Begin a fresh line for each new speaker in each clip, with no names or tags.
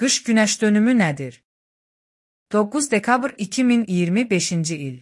Qış günəş dönümü nədir? 9 dekabr 2025-ci il.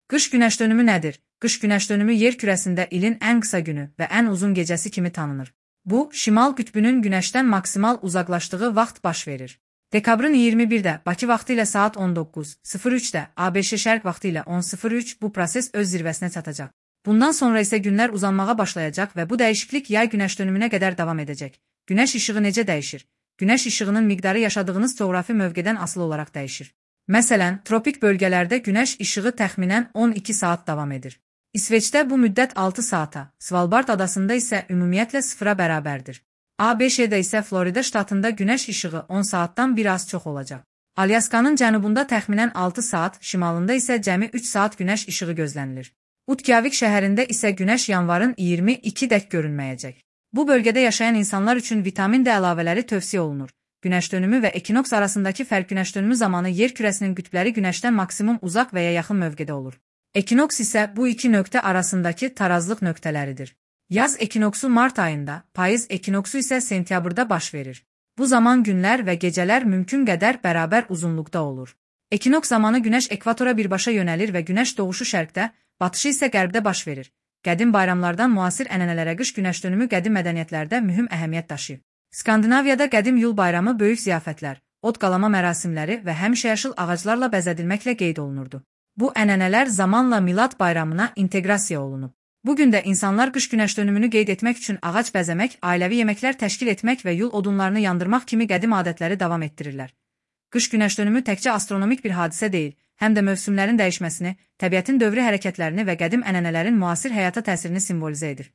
Qış günəş dönümü nədir? Qış günəş dönümü yer kürəsində ilin ən qısa günü və ən uzun gecəsi kimi tanınır. Bu, şimal qütbünün günəşdən maksimal uzaqlaşdığı vaxt baş verir. Dekabrın 21-də Bakı vaxtı ilə saat 19:03-də, ABŞ şərq vaxtı ilə 10:03 bu proses öz zirvəsinə çatacaq. Bundan sonra isə günlər uzanmağa başlayacaq və bu dəyişiklik yay günəş dönümünə qədər davam edəcək. Günəş işığı necə dəyişir? Günəş işığının miqdarı yaşadığınız coğrafi mövqedən asılı olaraq dəyişir. Məsələn, tropik bölgələrdə günəş işığı təxminən 12 saat davam edir. İsveçdə bu müddət 6 saata, Svalbard adasında isə ümumiyyətlə 0-a bərabərdir. ABŞ-də isə Florida ştatında günəş işığı 10 saatdan bir az çox olacaq. Alyaskanın cənubunda təxminən 6 saat, şimalında isə cəmi 3 saat günəş işığı gözlənilir. Utkavik şəhərində isə günəş yanvarın 22-dək görünməyəcək. Bu bölgədə yaşayan insanlar üçün vitamin D əlavələri tövsiyə olunur. Günəş dönümü və ekinoks arasındakı fərq günəş dönümü zamanı yer kürəsinin qütbləri günəşdən maksimum uzaq və ya yaxın mövqedə olur. Ekinoks isə bu iki nöqtə arasındakı tarazlıq nöqtələridir. Yaz ekinoksu mart ayında, payız ekinoksu isə sentyabrda baş verir. Bu zaman günlər və gecələr mümkün qədər bərabər uzunluqda olur. Ekinoks zamanı günəş ekvatora birbaşa yönəlir və günəş doğuşu şərqdə, batışı isə qərbdə baş verir. Qədim bayramlardan müasir ənənələrə qış günəş dönümü qədim mədəniyyətlərdə mühüm əhəmiyyət daşıyır. Skandinaviyada qədim yul bayramı böyük ziyafətlər, od qalama mərasimləri və həmişəyaşıl ağaclarla bəzədilməklə qeyd olunurdu. Bu ənənələr zamanla Milad bayramına inteqrasiya olunub. Bugün də insanlar qış günəş dönümünü qeyd etmək üçün ağac bəzəmək, ailəvi yeməklər təşkil etmək və yul odunlarını yandırmaq kimi qədim adətləri davam etdirirlər. Qış günəş dönümü təkcə astronomik bir hadisə deyil, həm də mövsümlərin dəyişməsini, təbiətin dövrü hərəkətlərini və qədim ənənələrin müasir həyata təsirini simvolizə edir.